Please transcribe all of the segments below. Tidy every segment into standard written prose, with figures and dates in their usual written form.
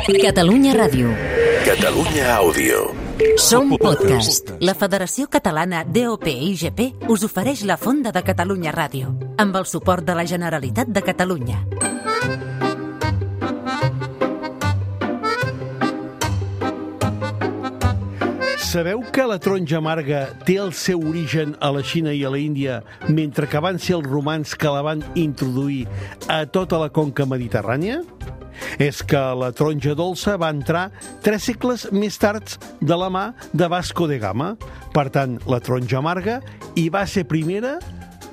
Catalunya Ràdio. Catalunya Àudio. Som podcast. La Federació Catalana DOP-IGP us ofereix la Fonda de Catalunya Ràdio, amb el suport de la Generalitat de Catalunya. Sabeu que la taronja amarga té el seu origen a la Xina i a la Índia, mentre que van ser els romans que la van introduir a tota la conca mediterrània? És que la taronja dolça va entrar 3 segles més tard de la mà de Vasco de Gama. Per tant, la taronja amarga hi va ser primera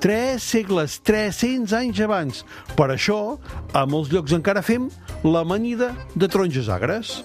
3 segles, 300 anys abans. Per això, a molts llocs encara fem l'amanida de taronges agres.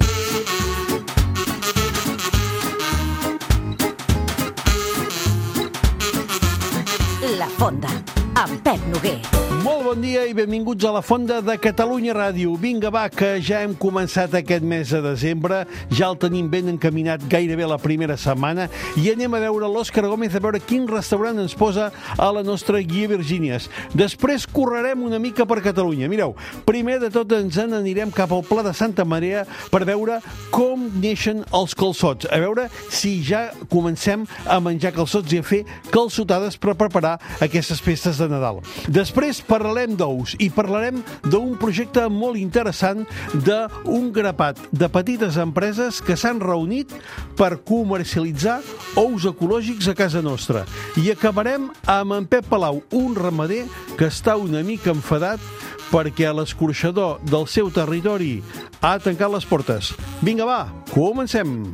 La Fonda, amb Pep Noguer. Molt bon dia i benvinguts a la Fonda de Catalunya Ràdio. Vinga, va, que ja hem començat aquest mes de desembre, ja el tenim ben encaminat gairebé la primera setmana i anem a veure l'Òscar Gómez a veure quin restaurant ens posa a la nostra guia Virgínies. Després correrem una mica per Catalunya. Mireu, primer de tot ens n'anirem cap al Pla de Santa Maria per veure com neixen els calçots, a veure si ja comencem a menjar calçots i a fer calçotades per preparar aquestes festes de Nadal. Després parlarem d'ous i parlarem d'un projecte molt interessant d'un grapat de petites empreses que s'han reunit per comercialitzar ous ecològics a casa nostra. I acabarem amb en Pep Palau, un ramader que està una mica enfadat perquè l'escorxador del seu territori ha tancat les portes. Vinga, va, comencem!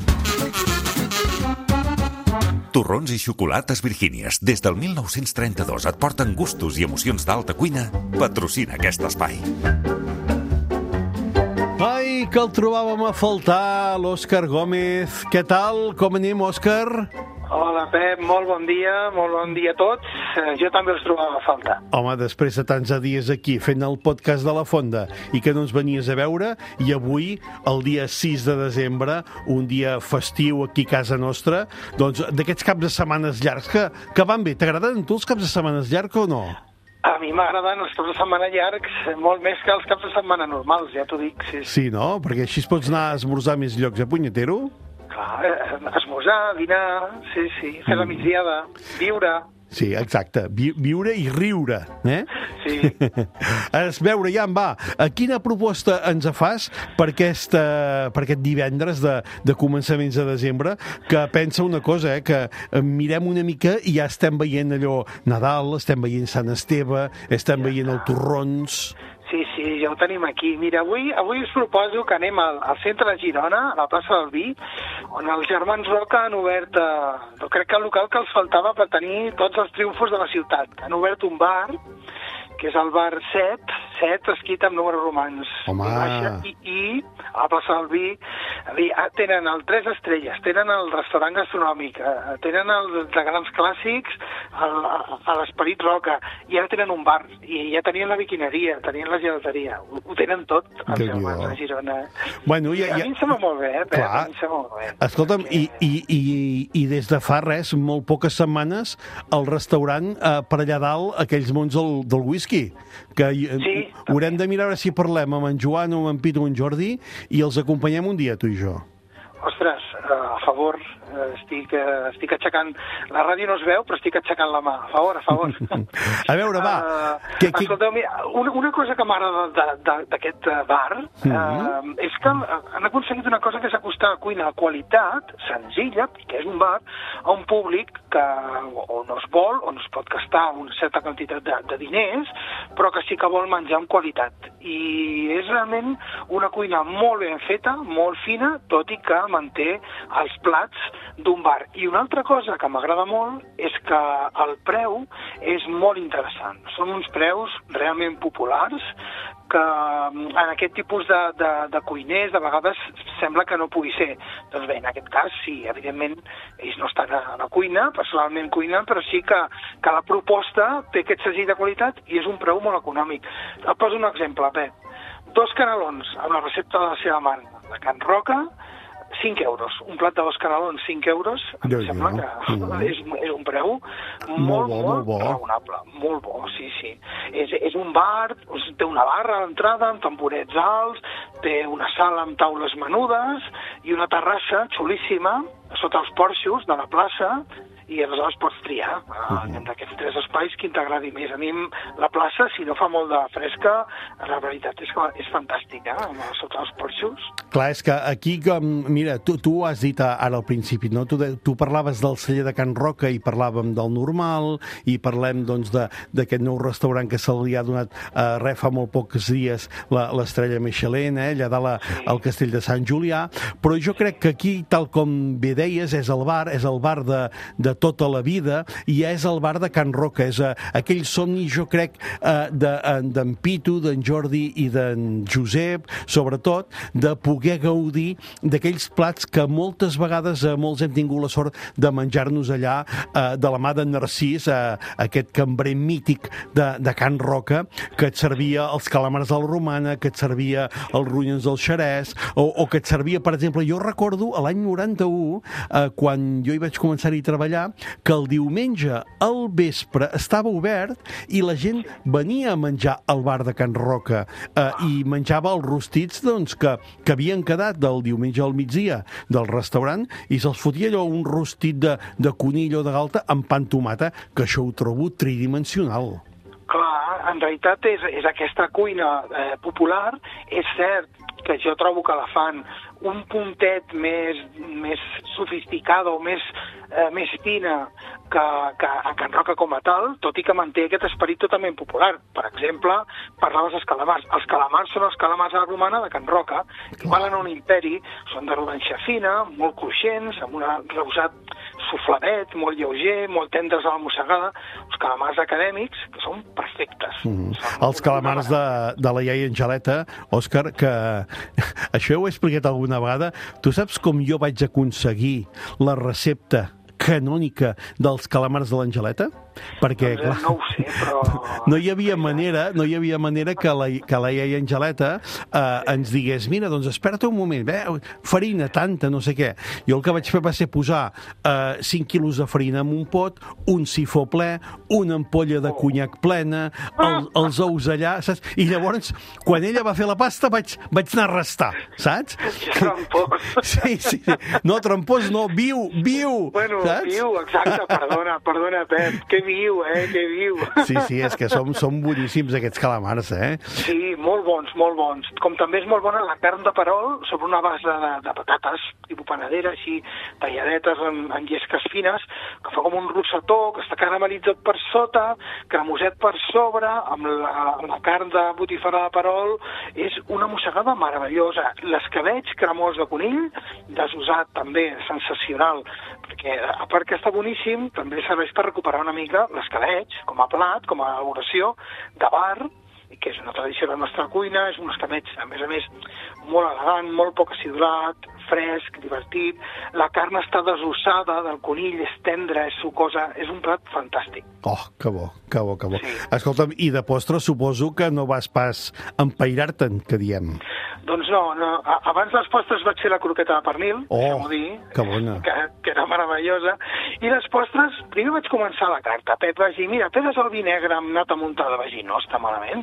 Torrons i xocolates Virgínies, des del 1932 et porten gustos i emocions d'alta cuina. Patrocina aquest espai. Ai, que el trobàvem a faltar, l'Òscar Gómez. Què tal? Com anem, Òscar? Hola, Pep, molt bon dia a tots. Jo també els trobava a faltar. Home, després de tants dies aquí fent el podcast de la Fonda i que no ens venies a veure, i avui, el dia 6 de desembre, un dia festiu aquí a casa nostra, doncs d'aquests caps de setmanes llargs que van bé. T'agraden tu els caps de setmanes llargs o no? A mi m'agraden els caps de setmana llargs molt més que els caps de setmana normals, ja t'ho dic. Sí, no? Perquè així es pots anar a esmorzar a més llocs, punyetero? Clar, esmorzar, dinar, sí, fer la migdiada, viure. Sí, exacte, viure i riure, eh? Sí. A veure, ja en va, quina proposta ens fas per aquest divendres de començaments de desembre, que pensa una cosa, que mirem una mica i ja estem veient allò Nadal, estem veient Sant Esteve, estem veient el torrons... Sí, ja ho tenim aquí. Mira, avui us proposo que anem al centre de Girona, a la plaça del Vi, on els germans Roca han obert, crec que el local que els faltava per tenir tots els triomfos de la ciutat. Han obert un bar, que és el bar 7 escrit amb números romans. Home! I a la plaça del Vi tenen el 3 estrelles, tenen el restaurant gastronòmic, tenen els de grans clàssics, a l'Esperit Roca, i ara tenen un bar, i ja tenien la biquineria, tenien la gelateria, ho tenen tot, els germans de Girona. Bueno, a mi em sembla molt bé, clar. A mi em sembla molt bé. Escolta'm, i des de fa molt poques setmanes, el restaurant per allà dalt, aquells mons del whisky, que sí, haurem de mirar si parlem amb en Joan o amb en Pitu o en Jordi i els acompanyem un dia, tu i jo. Ostres, a favor, estic aixecant... La ràdio no es veu, però estic aixecant la mà. A favor. A veure, va. Escolteu, una cosa que m'agrada d'aquest bar és que han aconseguit una cosa que és acostar a cuina de qualitat, senzilla, que és un bar, a un públic que o no es vol, o no es pot gastar una certa quantitat de diners, però que sí que vol menjar amb qualitat. I és realment una cuina molt ben feta, molt fina, tot i que manté els plats d'un bar. I una altra cosa que m'agrada molt és que el preu és molt interessant. Són uns preus realment populars que en aquest tipus de cuiners de vegades sembla que no pugui ser. Doncs bé, en aquest cas sí, evidentment ells no estan a la cuina, personalment cuinen, però sí que la proposta té aquest segell de qualitat i és un preu molt econòmic. Et poso un exemple, Pep. 2 canelons amb la recepta de la seva mare, de Can Roca, 5 euros. Un plat d'os canelons, 5 euros, em sembla que és un preu molt raonable. Molt bo, sí. És un bar, té una barra a l'entrada, amb tamborets alts, té una sala amb taules menudes i una terrassa xulíssima sota els porxos de la plaça, i aleshores pots triar d'aquests 3 espais quin t'agradi més. A mi la plaça, si no fa molt de fresca, la veritat és que és fantàstica, sota els porxos. Clar, és que aquí, mira, tu has dit ara al principi, no? Tu parlaves del celler de Can Roca i parlàvem del normal, i parlem doncs d'aquest nou restaurant que se li ha donat fa molt pocs dies l'estrella Michelin, allà dalt al castell de Sant Julià, però jo crec que aquí, tal com bé deies, és el bar de tota la vida, i és el bar de Can Roca, és aquell somni, jo crec, d'en Pitu, d'en Jordi i d'en Josep, sobretot, de poder gaudir d'aquells plats que moltes vegades molts hem tingut la sort de menjar-nos allà de la mà d'en Narcís, aquest cambrer mític de Can Roca, que et servia els calamars de la romana, que et servia els ronyons del xerès, o que et servia, per exemple, jo recordo l'any 91, quan jo hi vaig començar-hi a treballar, que el diumenge al vespre estava obert i la gent venia a menjar al bar de Can Roca i menjava els rostits que havien quedat del diumenge al migdia del restaurant, i se'ls fotia allò un rostit de conill o de galta amb pa amb tomata, que això ho trobo tridimensional. Clar, en realitat és aquesta cuina popular. És cert que jo trobo que la fan un puntet més sofisticada o més fina que a Can Roca com a tal, tot i que manté aquest esperit totalment popular. Per exemple, parlaves dels calamars. Els calamars són els calamars a la romana de Can Roca, que valen un imperi, són de rodanxa fina, molt cruixents, amb un reusat sufladet, molt lleuger, molt tendres a la mossegada, els calamars acadèmics, que són perfectes. Els calamars de la iaia Angeleta, Òscar, que això ho he explicat alguna vegada. Tu saps com jo vaig aconseguir la recepta canònica dels calamars de l'Angeleta? Perquè, clar, no ho sé, però... no hi havia manera que la iaia Angeleta ens digués, mira, doncs espera't un moment, farina tanta, no sé què. Jo el que vaig fer va ser posar 5 quilos de farina en un pot, un sifó ple, una ampolla de conyac plena, els ous allà, saps? I llavors, quan ella va fer la pasta, vaig anar a restar, saps? Trampós. Sí. No, trampós no, viu, bueno, saps? Viu, exacte, perdona, Pep, que viu, que viu. Sí, és que són boníssims aquests calamars, Sí, molt bons. Com també és molt bona la carn de perol sobre una base de patates, tipus panadera, així, talladetes en llesques fines, que fa com un rossetó, que està caramelitzat per sota, cremoset per sobre, amb la carn de botifarra de perol. És una mossegada meravellosa. L'escabetx cremós de conill, desusat també, sensacional, perquè a part que està boníssim, també serveix per recuperar una mica l'escabetx, com a plat, com a elaboració de bar, que és una tradició de la nostra cuina. És un escabetx, a més, molt elegant, molt poc acidulat, fresc, divertit. La carn està desossada del conill, és tendra, és sucosa, és un plat fantàstic. Oh, que bo. Sí. Escolta'm, i de postre suposo que no vas pas empairar-te'n, que diem. Doncs no. Abans dels postres vaig fer la croqueta de pernil, deixeu-m'ho dir, que bona. Que era meravellosa. I les postres, primer vaig començar la carta. Pep va dir, mira, pedes el vi negre amb nata muntada. Vaig dir, no està malament.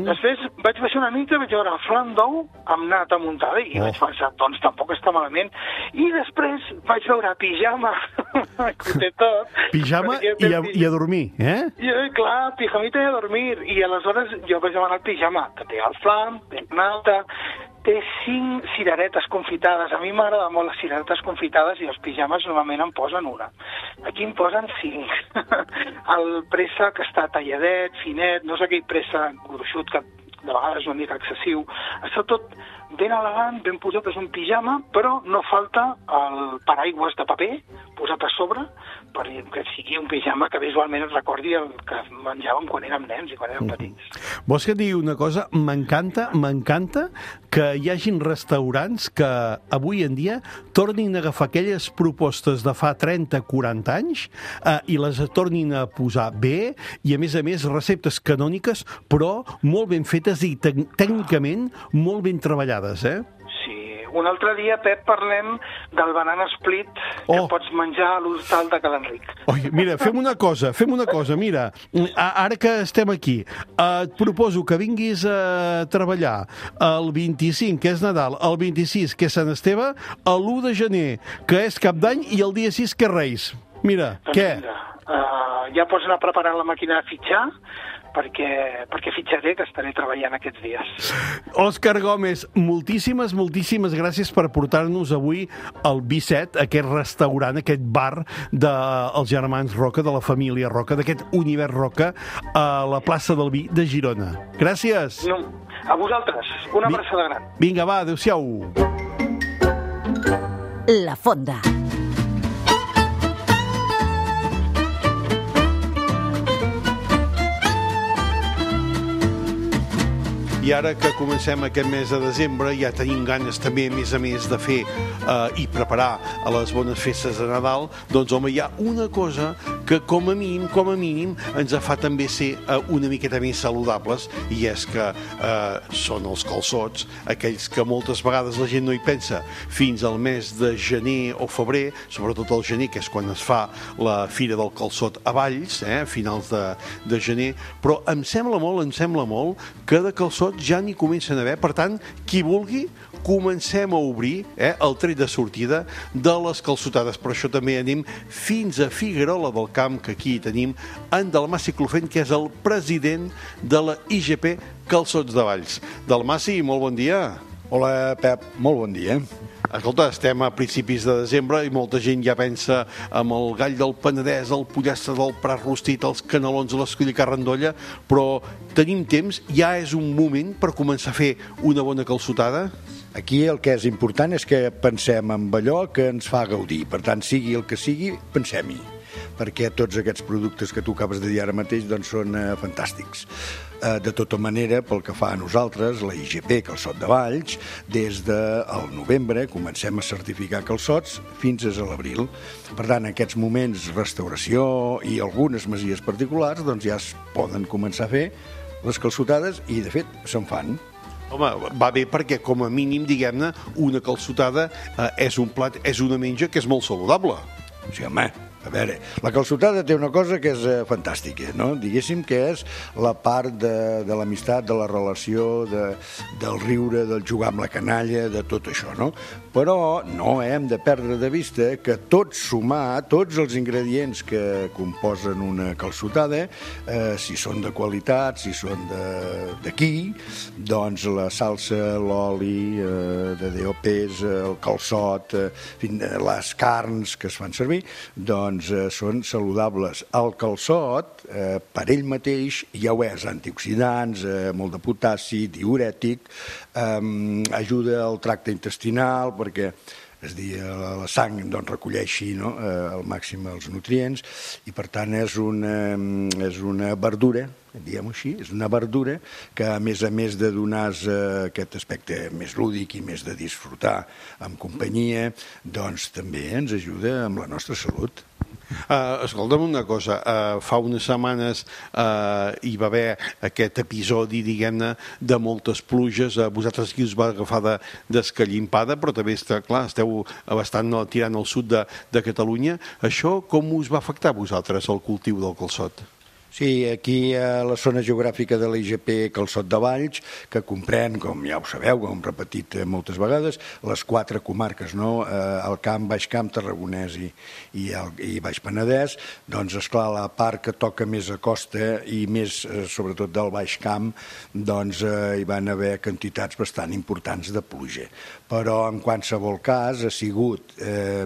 Després vaig baixar una mica, vaig veure flan d'ou amb nata muntada i vaig pensar, doncs tampoc està malament. I després vaig veure pijama, que té tot. Pijama i a dormir, Clar, pijamita i a dormir. I aleshores jo vaig demanar el pijama, que té el flan, té nata, té 5 cireretes confitades. A mi m'agrada molt les cireretes confitades i els pijames normalment en posen una. Aquí en posen 5. El préssec està talladet, finet, no és aquell préssec gruixut que de vegades és una mica excessiu. Està tot ben elegant, ben posat, és un pijama, però no falta el paraigües de paper posat a sobre perquè sigui un pijama que visualment et recordi el que menjàvem quan érem nens i quan érem petits. Vols que et digui una cosa? M'encanta que hi hagin restaurants que avui en dia tornin a agafar aquelles propostes de fa 30-40 anys i les tornin a posar bé, i a més receptes canòniques, però molt ben fetes i tècnicament molt ben treballades, Sí, un altre dia, Pep, parlem del banana split que pots menjar a l'hostal de Cal Enric. Mira, fem una cosa, mira, ara que estem aquí, et proposo que vinguis a treballar el 25, que és Nadal, el 26, que és Sant Esteve, l'1 de gener, que és Cap d'Any, i el dia 6, que és Reis. Mira, doncs què? Ja pots anar preparant la màquina de fitxar, perquè fitxaré, que estaré treballant aquests dies. Òscar Gómez, moltíssimes gràcies per portar-nos avui al B7, aquest restaurant, aquest bar dels germans Roca, de la família Roca, d'aquest univers Roca, a la plaça del Vi de Girona. Gràcies. No, a vosaltres. Una abraçada gran. Vinga, va, adéu-siau. La Fonda. I ara que comencem aquest mes de desembre ja tenim ganes també, a més de fer i preparar a les bones festes de Nadal, doncs home, hi ha una cosa que com a mínim ens fa també ser una miqueta més saludables, i és que són els calçots, aquells que moltes vegades la gent no hi pensa fins al mes de gener o febrer, sobretot el gener, que és quan es fa la Fira del Calçot a Valls, a finals de gener, però em sembla molt que de calçots ja n'hi comencen a haver. Per tant, qui vulgui, comencem a obrir el tret de sortida de les calçotades. Per això també anem fins a Figuerola del Camp, que aquí tenim en Dalmaci Clofent, que és el president de la IGP Calçots de Valls. Dalmaci, molt bon dia. Hola, Pep, molt bon dia. Escolta, estem a principis de desembre i molta gent ja pensa amb el gall del Penedès, el pollastre del Prat Rostit, els canelons de l'escoll i carrandolla, però tenim temps, ja és un moment per començar a fer una bona calçotada? Aquí el que és important és que pensem en allò que ens fa gaudir. Per tant, sigui el que sigui, pensem-hi, perquè tots aquests productes que tu acabes de dir ara mateix doncs són fantàstics. De tota manera, pel que fa a nosaltres, la IGP Calçot de Valls, des del novembre comencem a certificar calçots fins a l'abril. Per tant, en aquests moments, restauració i algunes masies particulars doncs ja es poden començar a fer les calçotades i, de fet, se'n fan. Home, va bé perquè, com a mínim, diguem-ne, una calçotada és un plat, és una menja que és molt saludable. Sí, home, a veure, la calçotada té una cosa que és fantàstica, no? Diguéssim que és la part de l'amistat, de la relació, del riure, del jugar amb la canalla, de tot això, no? Però no hem de perdre de vista que tot sumar, tots els ingredients que composen una calçotada, si són de qualitat, si són d'aquí, doncs la salsa, l'oli de DOPs, el calçot, les carns que es fan servir, doncs són saludables. El calçot, per ell mateix, ja ho és, antioxidants, molt de potassi, diürètic, ajuda al tracte intestinal perquè la sang recolleixi al màxim els nutrients i per tant és una verdura, diguem-ho així, és una verdura que a més de donar aquest aspecte més lúdic i més de disfrutar amb companyia, doncs també ens ajuda amb la nostra salut. Escolta'm una cosa, fa unes setmanes hi va haver aquest episodi, diguem-ne, de moltes pluges, vosaltres aquí us va agafar d'escallimpada, però també esteu bastant tirant al sud de Catalunya. Això com us va afectar a vosaltres el cultiu del calçot? Sí, aquí a la zona geogràfica de l'IGP Calçot de Valls, que comprèn, com ja ho sabeu, com hem repetit moltes vegades, les 4 comarques, el Camp, Baix Camp, Tarragonès i Baix Penedès, doncs, esclar, la part que toca més a costa i més, sobretot, del Baix Camp, doncs hi van haver quantitats bastant importants de pluja. Però, en qualsevol cas, ha sigut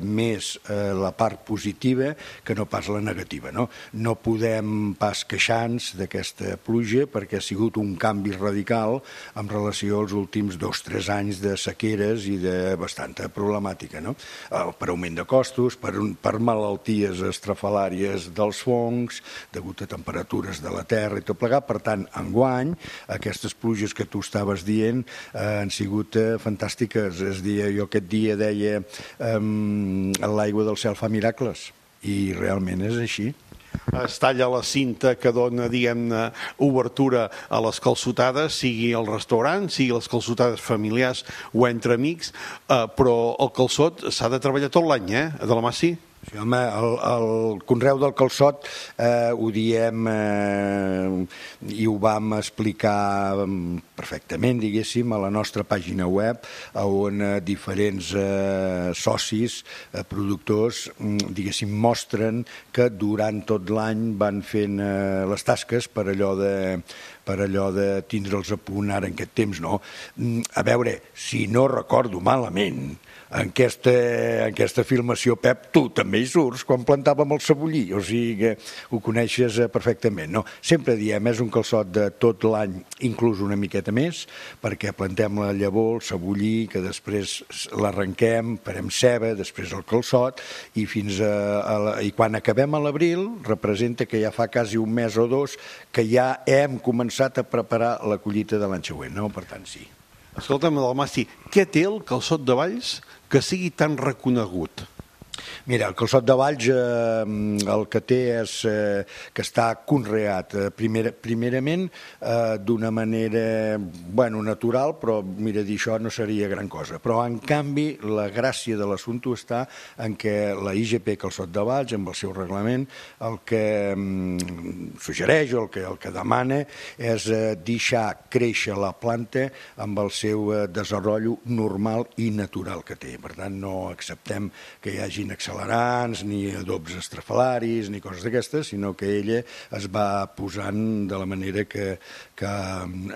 més la part positiva que no pas la negativa. No podem pas queixar-nos d'aquesta pluja perquè ha sigut un canvi radical en relació als últims 2 o 3 anys de sequeres i de bastanta problemàtica, per augment de costos, per malalties estrafalàries dels fongs, degut a temperatures de la terra i tot plegat. Per tant, enguany, aquestes pluges que tu estaves dient han sigut fantàstiques. Jo aquest dia deia l'aigua del cel fa miracles i realment és així. Es talla la cinta que dona, diguem-ne, obertura a les calçotades, sigui al restaurant, sigui les calçotades familiars o entre amics, però el calçot s'ha de treballar tot l'any, de la Massi? Sí, home, el conreu del calçot ho diem i ho vam explicar perfectament, diguéssim, a la nostra pàgina web, on diferents socis, productors, diguéssim, mostren que durant tot l'any van fent les tasques per allò de tindre'ls a punt ara en aquest temps, no? A veure, si no recordo malament, en aquesta filmació, Pep, tu també hi surts quan plantàvem el cebollí, o sigui que ho coneixes perfectament, no? Sempre diem, és un calçot de tot l'any, inclús una miqueta més, perquè plantem la llavor, el cebollí, que després l'arrenquem, farem ceba, després el calçot, i i quan acabem a l'abril, representa que ja fa quasi un mes o dos que ja hem començat a preparar la collita de l'any següent, no? Per tant, sí. Escolta'm, Dalmaci, què té el calçot de Valls que sigui tan reconegut? Mira, el calçot de Valls el que té és que està conreat primerament d'una manera, natural, però mira, dir això no seria gran cosa. Però, en canvi, la gràcia de l'assumpte està en què la IGP Calçot de Valls, amb el seu reglament, el que suggereix o el que demana és deixar créixer la planta amb el seu desenvolupament normal i natural que té. Per tant, no acceptem que hi hagin accelerants, ni adobs estrafalaris, ni coses d'aquestes, sinó que ella es va posant de la manera que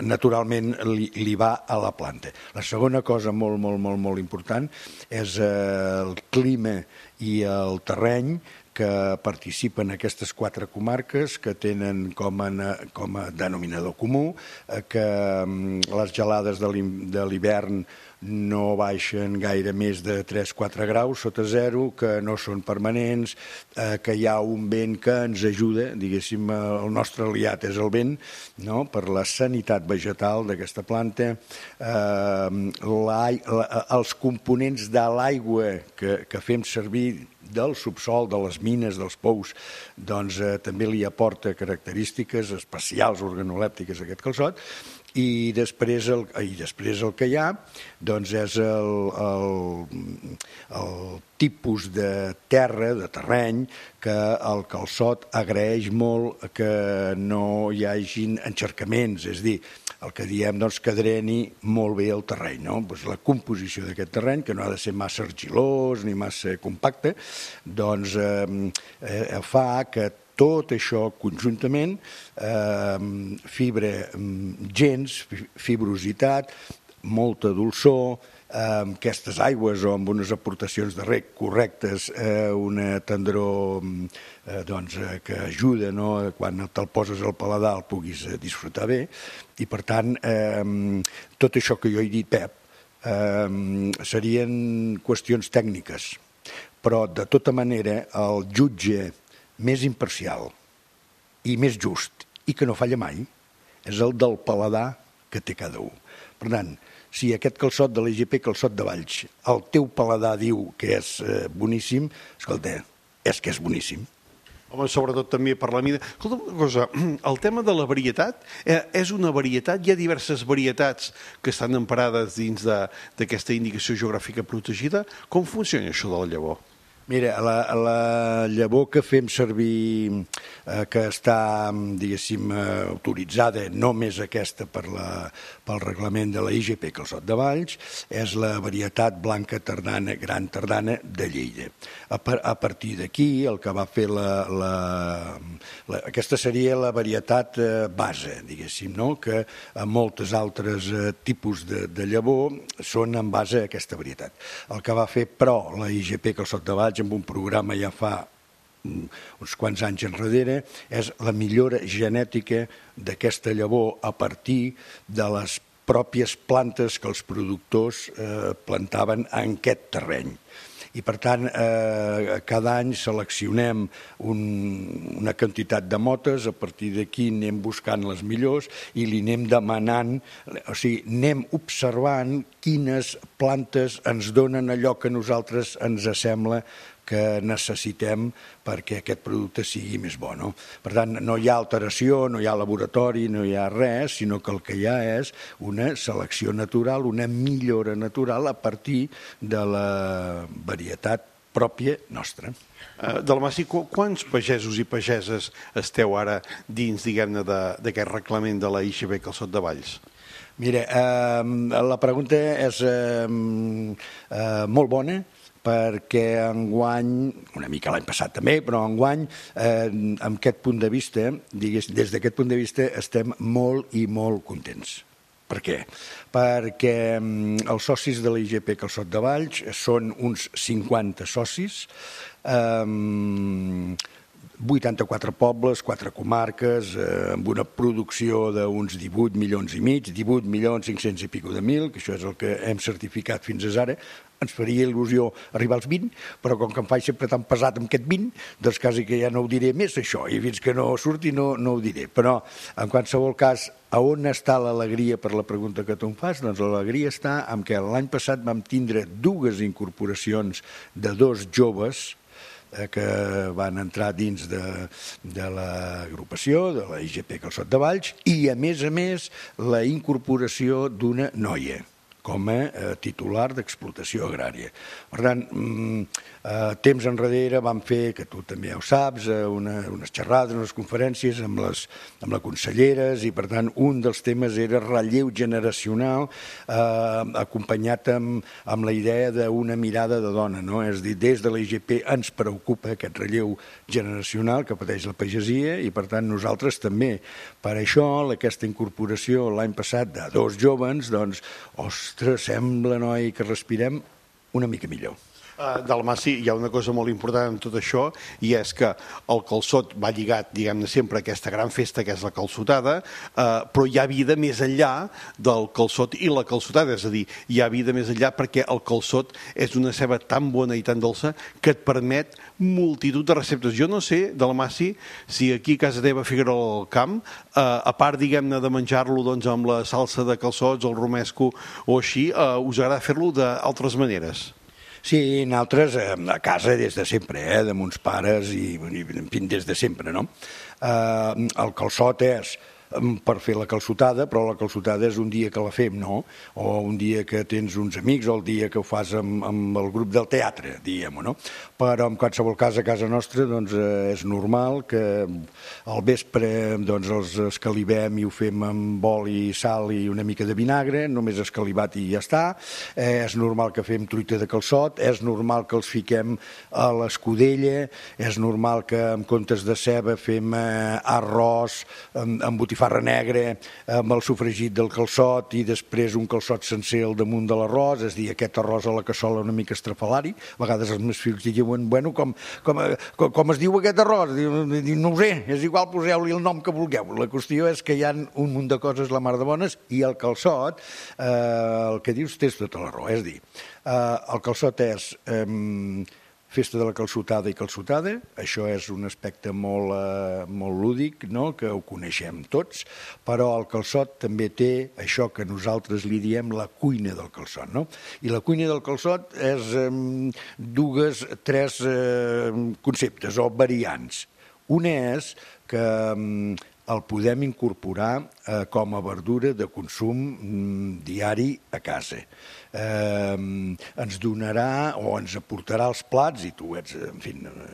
naturalment li va a la planta. La segona cosa molt important és el clima i el terreny que participen aquestes 4 comarques que tenen com a denominador comú que les gelades de l'hivern no baixen gaire més de 3-4 graus sota zero, que no són permanents, que hi ha un vent que ens ajuda, diguéssim, el nostre aliat és el vent, no?, per la sanitat vegetal d'aquesta planta. Els components de l'aigua que fem servir del subsol, de les mines, dels pous, doncs també li aporta característiques especials organolèptiques a aquest calçot. I després el que hi ha doncs és el tipus de terra, de terreny, que el calçot agraeix molt que no hi hagin encharcaments, és a dir, el que diem que dreni molt bé el terreny, no? La composició d'aquest terreny, que no ha de ser massa argilós ni massa compacte, doncs fa que tot això conjuntament, fibrositat, molta dolçor, aquestes aigües o amb unes aportacions de reg correctes, una tendror que ajuda, quan te'l poses al paladar el puguis disfrutar bé, i per tant tot això que jo he dit, Pep, serien qüestions tècniques, però de tota manera el jutge més imparcial i més just i que no falla mai és el del paladar que té cada un. Per tant, si aquest calçot de l'IGP Calçot de Valls, el teu paladar diu que és boníssim, escolta, és que és boníssim. Home, sobretot també per la mida. Escolta una cosa, el tema de la varietat és una varietat, hi ha diverses varietats que estan emparades dins d'aquesta indicació geogràfica protegida. Com funciona això de la llavor? Mira, la llavor que fem servir, que està, diguéssim, autoritzada, només aquesta pel reglament de la IGP Calçot de Valls, és la varietat blanca tardana, gran tardana de Lleida. A partir d'aquí, el que va fer aquesta seria la varietat base, diguéssim, no?, que moltes altres tipus de llavor són en base a aquesta varietat. El que va fer, però, la IGP Calçot de Valls, amb un programa ja fa uns quants anys enrere, és la millora genètica d'aquesta llavor a partir de les pròpies plantes que els productors plantaven en aquest terreny. I, per tant, cada any seleccionem una quantitat de motes, a partir d'aquí anem buscant les millors i li anem demanant, o sigui, anem observant quines plantes ens donen allò que a nosaltres ens sembla que necessitem perquè aquest producte sigui més bo, no? Per tant, no hi ha alteració, no hi ha laboratori, no hi ha res, sinó que el que hi ha és una selecció natural, una millora natural a partir de la varietat pròpia nostra. Dalmaci, quants pagesos i pageses esteu ara dins, diguem-ne, d'aquest reglament de la IGP Calçot de Valls? Mira, la pregunta és molt bona, perquè enguany, una mica l'any passat també, però enguany, amb aquest punt de vista, des d'aquest punt de vista, estem molt i molt contents. Per què? Perquè els socis de la IGP Calçot de Valls són uns 50 socis, 84 pobles, 4 comarques, amb una producció d'uns 18 milions i mig, 18 milions 500 i pico de mil, que això és el que hem certificat fins ara. Ens faria il·lusió arribar als 20, però com que em faig sempre tan pesat amb aquest 20, doncs quasi que ja no ho diré més, això, i fins que no surti no ho diré. Però, en qualsevol cas, a on està l'alegria per la pregunta que tu em fas? Doncs l'alegria està en què l'any passat vam tindre 2 incorporacions de 2 joves que van entrar dins de l'agrupació, de la IGP Calçot de Valls, i a més, la incorporació d'una noia com a titular d'explotació agrària. Per tant, temps enrere vam fer, que tu també ja ho saps, unes xerrades, unes conferències amb la conselleres, i per tant un dels temes era relleu generacional, acompanyat amb la idea d'una mirada de dona, no? És a dir, des de la IGP ens preocupa aquest relleu generacional que pateix la pagesia, i per tant nosaltres també. Per això aquesta incorporació l'any passat de 2 jóvens, doncs, ostres, sembla, noi, que respirem una mica millor. Dalmaci, hi ha una cosa molt important en tot això, i és que el calçot va lligat, diguem-ne, sempre a aquesta gran festa que és la calçotada, però hi ha vida més enllà del calçot i la calçotada, és a dir, hi ha vida més enllà perquè el calçot és una ceba tan bona i tan dolça que et permet multitud de receptes. Jo no sé, Dalmaci, si aquí a casa teva a Figuerola del Camp, a part, diguem-ne, de menjar-lo amb la salsa de calçots, el romesco o així, us agrada fer-lo d'altres maneres? Sí, nosaltres a casa des de sempre, de mons pares i en fi, des de sempre, no? El calçot és per fer la calçotada, però la calçotada és un dia que la fem, no? O un dia que tens uns amics, o el dia que ho fas amb el grup del teatre, diguem-ho, no? Però en qualsevol cas a casa nostra doncs, és normal que al vespre doncs, els escalivem i ho fem amb oli, sal i una mica de vinagre, només escalivat i ja està. És normal que fem truita de calçot, és normal que els fiquem a l'escudella, és normal que en comptes de ceba fem arròs amb botifarra negra, amb el sofregit del calçot i després un calçot sencer al damunt de l'arròs, és a dir, aquest arròs a la cassola una mica estrafalari. A vegades els meus fills diuen, bueno, com es diu aquest arròs? No ho sé, és igual, poseu-li el nom que vulgueu. La qüestió és que hi ha un munt de coses la mar de bones, i el calçot, el que dius, tens tota la raó. És a dir, el calçot és festa de la calçotada i calçotada, això és un aspecte molt lúdic, no? Que ho coneixem tots, però el calçot també té això que nosaltres li diem la cuina del calçot, no? I la cuina del calçot és 3 conceptes o variants. Una és que el podem incorporar com a verdura de consum diari a casa. Ens donarà o ens aportarà els plats, i tu ets, en fi,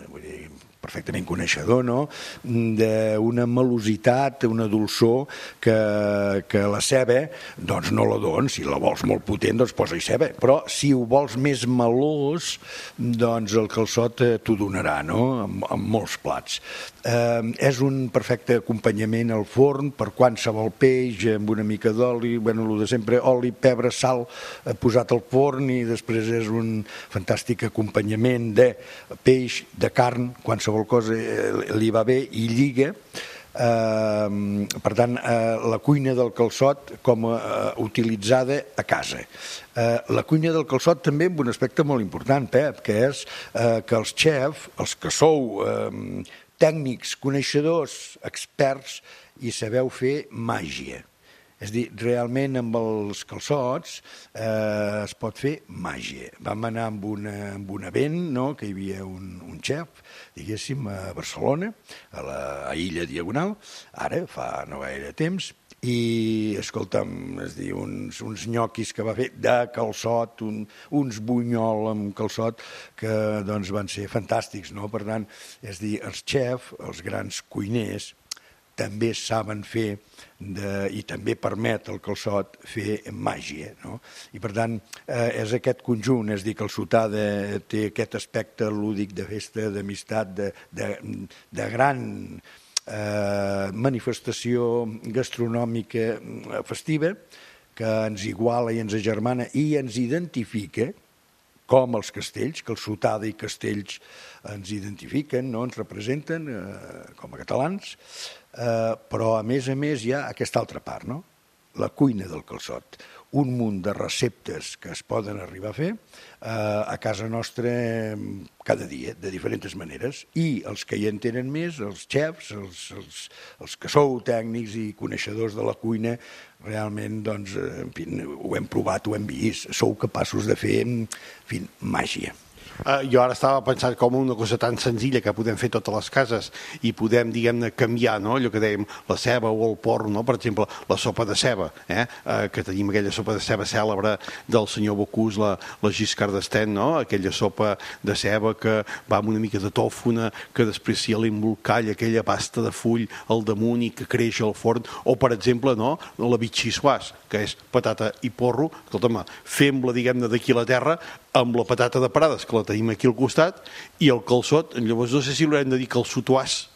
vull dir, perfectament coneixedor, no?, d'una melositat, una dolçor que la ceba doncs no la dones. Si la vols molt potent, doncs posa-hi ceba, però si ho vols més melós, doncs el calçot t'ho donarà, no?, amb molts plats. És un perfecte acompanyament al forn per qualsevol peix, amb una mica d'oli, bueno, el de sempre, oli, pebre, sal, posat al forn, i després és un fantàstic acompanyament de peix, de carn, qualsevol cosa li va bé i lliga. Per tant, la cuina del calçot com utilitzada a casa. La cuina del calçot també amb un aspecte molt important, Pep, que és que els xefs, els que sou tècnics, coneixedors, experts, i sabeu fer màgia. És a dir, realment amb els calçots es pot fer màgia. Vam anar amb un event, no?, que hi havia un xef, diguéssim, a Barcelona, a la Illa Diagonal, ara fa no gaire temps, i, escolta'm, és dir, uns nyoquis que va fer de calçot, uns bunyol amb calçot, que doncs van ser fantàstics, no? Per tant, és dir, els xefs, els grans cuiners, també saben fer, i també permet el calçot fer màgia, no? I per tant, és aquest conjunt, és dir, que el Calçotada té aquest aspecte lúdic de festa, d'amistat, de gran manifestació gastronòmica festiva que ens iguala i ens agermana i ens identifica com els castells, que el Calçotada i Castells ens identifiquen, no? Ens representen com a catalans, però a més hi ha aquesta altra part, no? La cuina del calçot, un munt de receptes que es poden arribar a fer a casa nostra cada dia, de diferents maneres, i els que hi en tenen més, els xefs, els que sou tècnics i coneixedors de la cuina, realment, doncs, en fi, ho hem provat, ho hem vist, sou capaços de fer, en fi, màgia. Jo ara estava pensant com una cosa tan senzilla que podem fer totes les cases i podem, diguem-ne, canviar, no?, allò que dèiem, la ceba o el porro, no?, per exemple, la sopa de ceba, que tenim aquella sopa de ceba cèlebre del senyor Bocuse, la Giscard d'Estaing, no?, aquella sopa de ceba que va amb una mica de tòfona, que després s'hi l'embolcall, aquella pasta de full al damunt i que creix al forn, o, per exemple, no?, la vichyssoise, que és patata i porro, escolta'm, fem-la, diguem-ne, d'aquí a la terra, amb la patata de parades, que la tenim aquí al costat, i el calçot, llavors no sé si l'haurem de dir calçotoàs,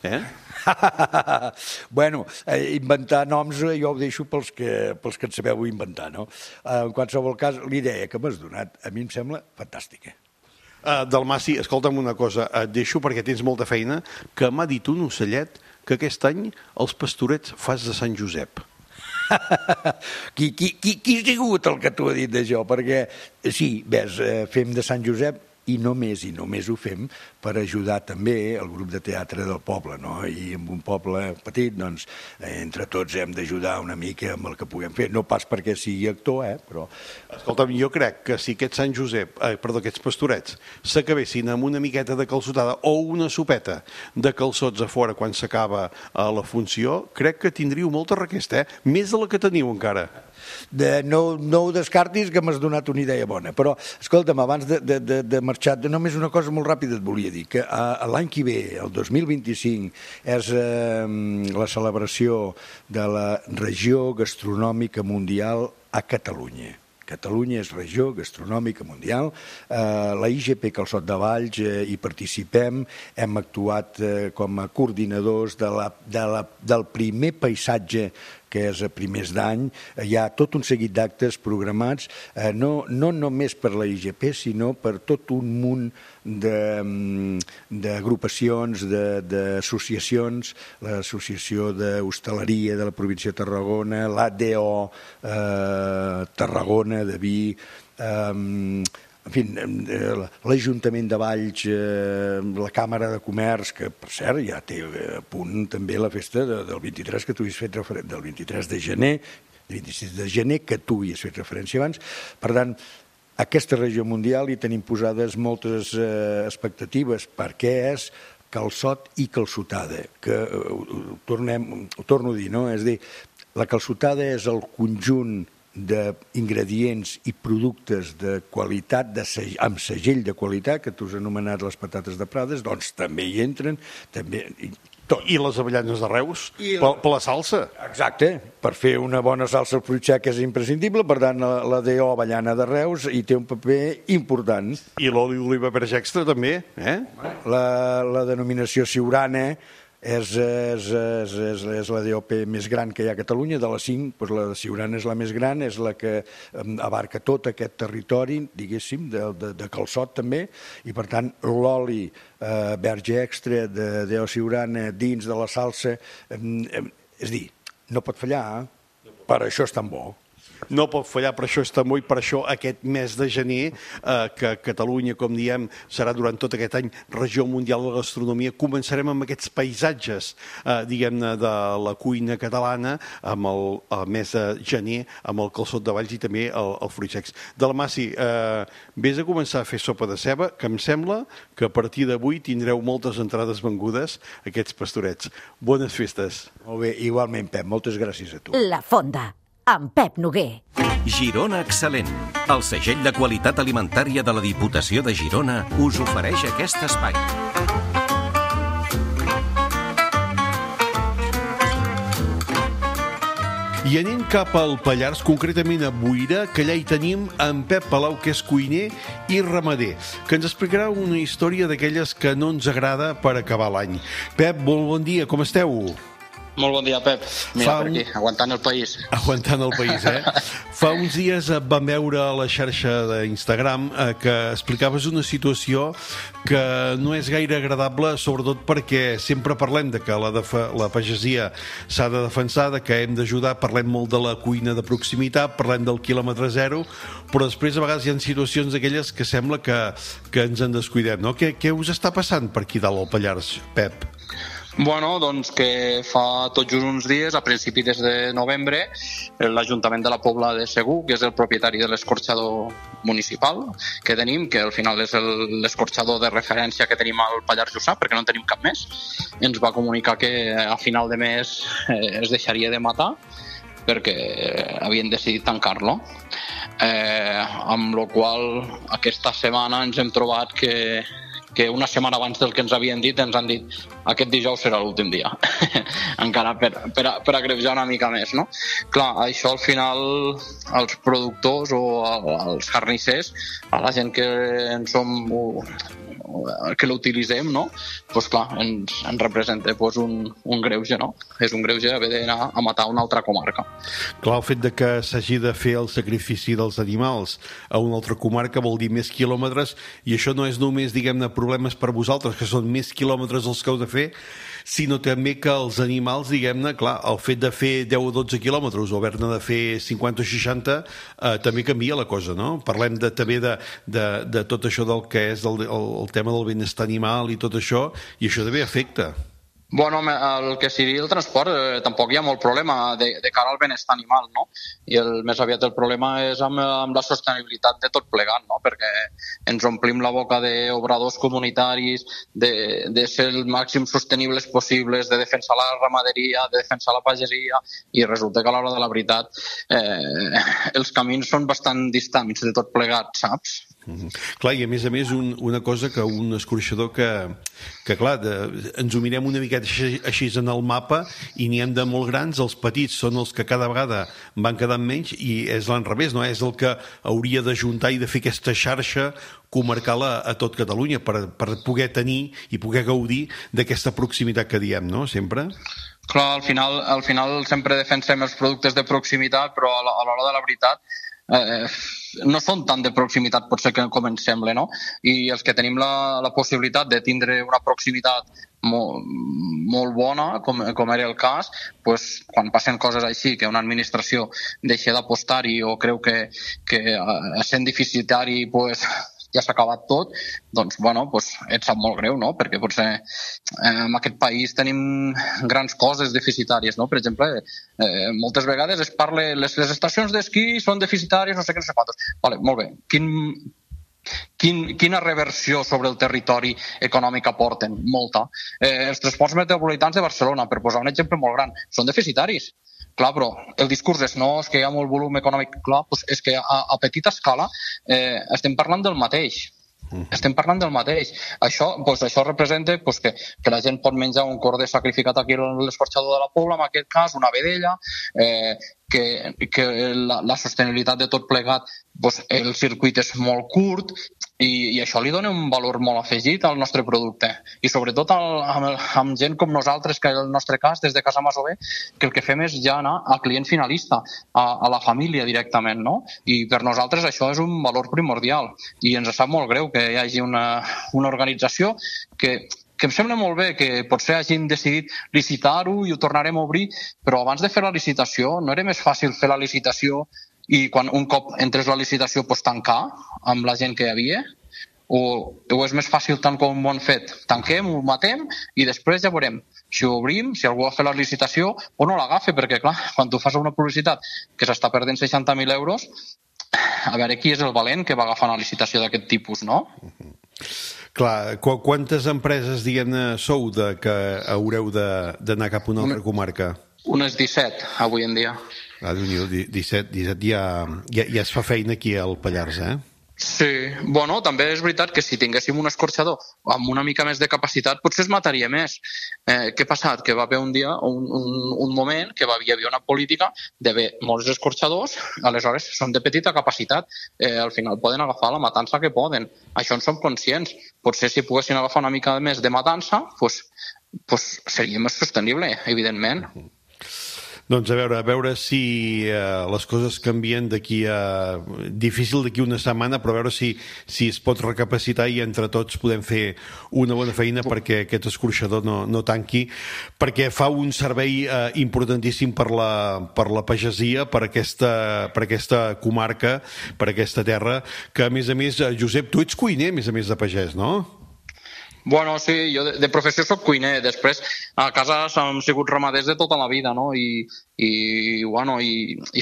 Bueno, inventar noms jo ho deixo pels que en sabeu inventar, no? En qualsevol cas, la idea que m'has donat a mi em sembla fantàstica. Dalmaci, escolta'm una cosa, et deixo perquè tens molta feina, que m'ha dit un ocellet que aquest any els pastorets fas de Sant Josep. Qui ha sigut el que t'ho ha dit d'això? Perquè, sí, ves, fem de Sant Josep i només ho fem per ajudar també el grup de teatre del poble, no? I en un poble petit, doncs, entre tots hem d'ajudar una mica amb el que puguem fer. No pas perquè sigui actor, però... Escolta'm, jo crec que si aquests pastorets s'acabessin amb una miqueta de calçotada o una sopeta de calçots a fora quan s'acaba la funció, crec que tindríeu molta requesta, més de la que teniu encara. No ho descartis, que m'has donat una idea bona. Però, escolta'm, abans de marxar, només una cosa molt ràpida et volia dir, que l'any que ve, el 2025, és la celebració de la regió gastronòmica mundial a Catalunya. Catalunya és regió gastronòmica mundial. La IGP Calçot de Valls hi participem, hem actuat com a coordinadors del primer paisatge que és a primers d'any. Hi ha tot un seguit d'actes programats, no només per la IGP, sinó per tot un munt d'agrupacions, d'associacions, l'Associació d'Hostaleria de la província de Tarragona, l'ADO Tarragona de vi, en fi, l'Ajuntament de Valls, la Càmera de Comerç, que per cert ja té a punt també la festa del 23 que tu hi has fet referència, del 23 de gener, del 26 de gener, que tu hi has fet referència abans. Per tant, aquesta regió mundial hi tenim posades moltes expectatives, perquè és calçot i calçotada, que ho torno a dir, no? És a dir, la calçotada és el conjunt d'ingredients i productes de qualitat, amb segell de qualitat, que tu has anomenat les patates de Prades, doncs també hi entren, i les avellanes de Reus, per la salsa. Exacte, per fer una bona salsa al fruit sec és imprescindible, per tant la DO avellana de Reus hi té un paper important. I l'oli d'oliva verge extra també, La denominació siurana és la DOP més gran que hi ha a Catalunya, de les 5, doncs la de Siurana és la més gran, és la que abarca tot aquest territori, diguéssim, de calçot també, i per tant l'oli verge extra de DO Siurana dins de la salsa, és dir, no pot fallar, per això és tan bo. no pot fallar, per això està molt, per això aquest mes de gener, que Catalunya, com diem, serà durant tot aquest any regió mundial de la gastronomia, començarem amb aquests paisatges, diguem-ne, de la cuina catalana, amb el mes de gener, amb el calçot de Valls i també el fruits secs. Dalmaci, vés a començar a fer sopa de ceba, que em sembla que a partir d'avui tindreu moltes entrades vengudes, aquests pastorets. Bones festes. Molt bé, igualment, Pep, moltes gràcies a tu. La Fonda, amb Pep Noguer. Girona Excel·lent. El segell de qualitat alimentària de la Diputació de Girona us ofereix aquest espai. I anem cap al Pallars, concretament a Boira, que allà hi tenim en Pep Palau, que és cuiner i ramader, que ens explicarà una història d'aquelles que no ens agrada per acabar l'any. Pep, molt bon dia, com esteu? Molt bon dia, Pep. Mira, per aquí, aguantant el país. Aguantant el país, Fa uns dies vam veure a la xarxa d'Instagram que explicaves una situació que no és gaire agradable, sobretot perquè sempre parlem de que la pagesia s'ha de defensar, de que hem d'ajudar, parlem molt de la cuina de proximitat, parlem del quilòmetre zero, però després a vegades hi ha situacions d'aquelles que sembla que ens en descuidem, no? Què us està passant per aquí dalt al Pallars, Pep? Bueno, doncs que fa tot just uns dies, a principi des de novembre, l'Ajuntament de la Pobla de Segur, que és el propietari de l'escorxador municipal que tenim, que al final és l'escorxador de referència que tenim al Pallars Jussà, perquè no en tenim cap més, ens va comunicar que a final de mes es deixaria de matar perquè havien decidit tancar-lo. Amb la qual aquesta setmana ens hem trobat que una setmana abans del que ens havien dit ens han dit aquest dijous serà l'últim dia. Encara per agreujar una mica més, no? Clar, això al final els productors o els carnissers, a la gent que en som que l'utilitzem, no? Pues clar, ens representa un greuge, no? És un greuge haver d'anar a matar una altra comarca. Clar, el fet de que s'hagi de fer el sacrifici dels animals a una altra comarca vol dir més quilòmetres, i això no és només, diguem-ne, problemes per vosaltres, que són més quilòmetres els que heu de fer, sinó també que els animals, diguem-ne, clar, el fet de fer 10 o 12 quilòmetres o haver-ne de fer 50 o 60 també canvia la cosa, no? Parlem també de tot això del que és el tema del benestar animal i tot això, i això també afecta. Bueno, el que sigui el transport, tampoc hi ha molt problema de cara al benestar animal, no? I més aviat el problema és amb la sostenibilitat de tot plegat, no? Perquè ens omplim la boca d'obradors comunitaris, de ser el màxim sostenibles possibles, de defensar la ramaderia, de defensar la pagesia, i resulta que a l'hora de la veritat els camins són bastant distants de tot plegat, saps? Clar, i a més, una cosa que un escorxador que clar, ens ho mirem una miqueta així en el mapa i n'hi hem de molt grans, els petits són els que cada vegada van quedant menys, i és l'enrevés, no? És el que hauria d'ajuntar i de fer aquesta xarxa comarcal a tot Catalunya per poder tenir i poder gaudir d'aquesta proximitat que diem, no? Sempre. Clar, al final sempre defensem els productes de proximitat, però a l'hora de la veritat no són tan de proximitat potser com ens sembla, no? I els que tenim la possibilitat de tindre una proximitat molt bona, com era el cas, pues, quan passen coses així, que una administració deixa d'apostar-hi o creu que sent deficitari pues, ja s'ha acabat tot, doncs, bueno, pues, et sap molt greu, no? Perquè potser en aquest país tenim grans coses deficitàries, no? Per exemple, moltes vegades es parla les estacions d'esquí són deficitàries, no sé què, no sé quantos. Vale, molt bé. Quina reversió sobre el territori econòmic aporten? Molta. Els transports metropolitans de Barcelona, per posar un exemple molt gran, són deficitaris. Clar, però el discurs és no, és que hi ha molt volum econòmic. Clar, doncs és que a petita escala estem parlant del mateix. Estem parlant del mateix. Això representa que la gent pot menjar un corder sacrificat aquí a l'escorxador de la Pobla, en aquest cas, una vedella, que la sostenibilitat de tot plegat, el circuit és molt curt, i això li dona un valor molt afegit al nostre producte, i sobretot amb gent com nosaltres, que en el nostre cas, des de Casa Masover, que el que fem és ja anar al client finalista, a la família directament, no? I per nosaltres això és un valor primordial, i ens sap molt greu que hi hagi una organització que em sembla molt bé que potser hagin decidit licitar-ho i ho tornarem a obrir, però abans de fer la licitació no era més fàcil fer la licitació i quan un cop entres a la licitació tancar amb la gent que hi havia, o és més fàcil tant com ho han fet? Tanquem, ho matem i després ja veurem. Si ho obrim, si algú ha fet la licitació o no l'agafa, perquè clar, quan tu fas una publicitat que s'està perdent 60.000 euros, a veure qui és el valent que va agafar una licitació d'aquest tipus, no? Clar, quantes empreses, diguem-ne, sou que haureu d'anar cap a una altra comarca? Unes 17, avui en dia. Ah, 17 ja es fa feina aquí al Pallars, eh? Sí, bueno, també és veritat que si tinguéssim un escorxador amb una mica més de capacitat potser es mataria més. Què ha passat? Que va haver un dia, un moment que hi havia una política d'haver molts escorxadors, aleshores són de petita capacitat, al final poden agafar la matança que poden. Això en som conscients. Potser si poguessin agafar una mica més de matança, pues seria més sostenible, evidentment. Doncs a veure si les coses canvien d'aquí a... Difícil d'aquí una setmana, però a veure si es pot recapacitar i entre tots podem fer una bona feina perquè aquest escorxador no tanqui, perquè fa un servei importantíssim per la pagesia, per aquesta comarca, per aquesta terra, que a més, Josep, tu ets cuiner, a més de pagès, no? Bueno, sí, jo de professió soc cuiner, després a casa hem sigut ramaders de tota la vida, no? I